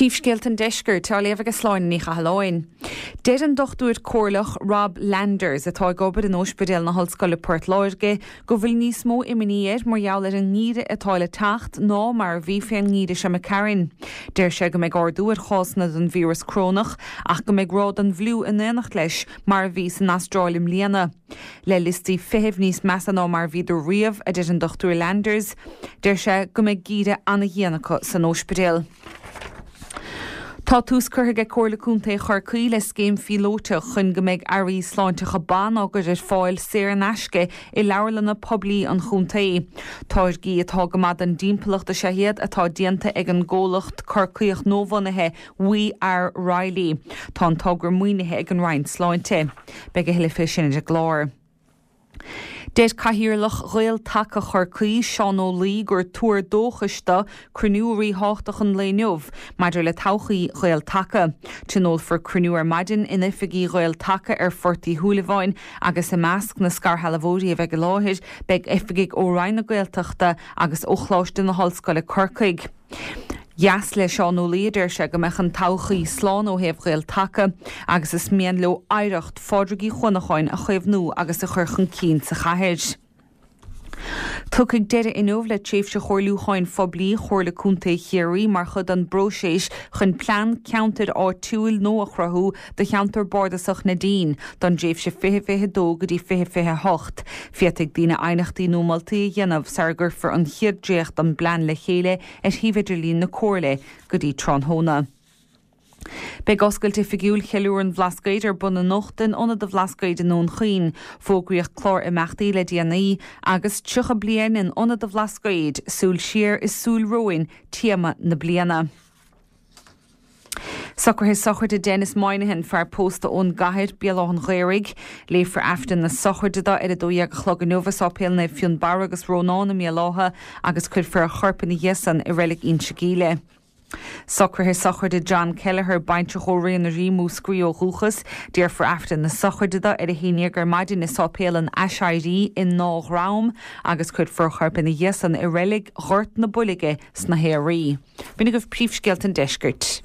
Príomhscéalta an Deiscirt á léamh ag Sláine Ní Chathalláin. Deir an Dochtúir Comhairleach Rob Landers, atá ag obair in Óispidéal na hOllscoile Port Láirge, go bhfuil níos mó imní air mar gheall ar an ngeimhreadh atá le teacht ná mar a bhí fén ngeimhreadh seo imigh tharainn. Deir sé go mbeidh ardú ar chásanna den víreas corónach ach go mbeidh ráig den bhfliú in éineacht leis mar a bhí san Astráil i mbliana. Le liostaí feithimh níos measa ná mar a bhíodar riamh, a deir an Dr Landers, deir sé go mbeidh geimhreadh ana-dhian acu san óispidéal. Tá tús curtha ag Comhairle Contae Chorcaí le scéim phíolótach chun go mbeidh earraí sláinteacha ban á gcur ar fáil saor in aisce i leabharlanna poiblí an chontae. Táirgí atá go maith don dtimpeallacht is ea iad atá déanta ag an gcomhlacht Corcaíoch nuabhunaithe We Are Reilly. Tá an togra maoinithe ag an Roinn Sláinte. Beidh a thuilleadh fé sin ar an gclár. Deir Cathaoirleach Ghael-Taca Chorcaí, Seán Ó Laoi, gur tuar dóchais dó cruinniú ríthábhachtach an lae inniu maidir le todhchaí Ghael-Taca. Tionólfar cruinniú ar maidin in oifigí Ghael-Taca ar Phort Uí Shúilleabháin agus i measc na scairshealbhóirí a bheidh i láthair beidh oifigigh ó Roinn na Gaeltachta agus ó Choláiste na hOllscoile Corcaigh. Dheas le Seán Ó Laoi, a deir sé, go mbeadh an todhchaí slán ó thaobh Ghael Taca agus is mian leo oidhreacht Phádraig Uí Chuanacháin a chaomhnú agus a chur chun cinn sa chathair. Tiocfaidh deireadh inniu le tréimhse chomhairliúcháin phoiblí Chomhairle Contae Chiarraí mar chuid den bpróiseas chun Plean Ceantair Áitiúil nua a chruthú do cheantar bardasach Neidín don dtréimhse 2022 go dtí 2028. Féadfaidh daoine aighneachtaí nó moltaí a dhéanamh sara gcuirfear an chéad dréacht den bplean le chéile ar shuíomh idirlín na Comhairle go dtí tráthnóna. Beidh oscailt oifigiúil Cheiliúradh an Bhlascaoid ar bun anocht in Ionad an Bhlascaoid i nDún Chaoin. Fógraíodh clár imeachtaí le déanaí agus 30 bliain in Ionad an Bhlascaoid, súil siar is súil romhainn téama na bliana. Socruithe sochraide Denis Moynihan, fear pósta ón gCathair, Béal Átha an Ghaorthaidh. Léifear Aifreann na sochraide dó ar 12 a chlog inniu i Sáipéal Naomh Fionnbarra agus Rónán i mBéal Átha agus cuirfear a chorp ina dhiaidh san i Reilig Inse Geimhle. Socruithe sochraide John Kelleher, baintreach ó Rae na Rí, Múscraí ó dhúchas. Déarfar Aifreann na sochraide dó ar 11 ar maidin i Sáipéal an Aiséirí i nDá Dhrom agus cuirfear a chorp ina dhiaidh san i Reilig Ghort na Builge sna hAoraí. B'in agaibh príomhscéalta an deiscirt.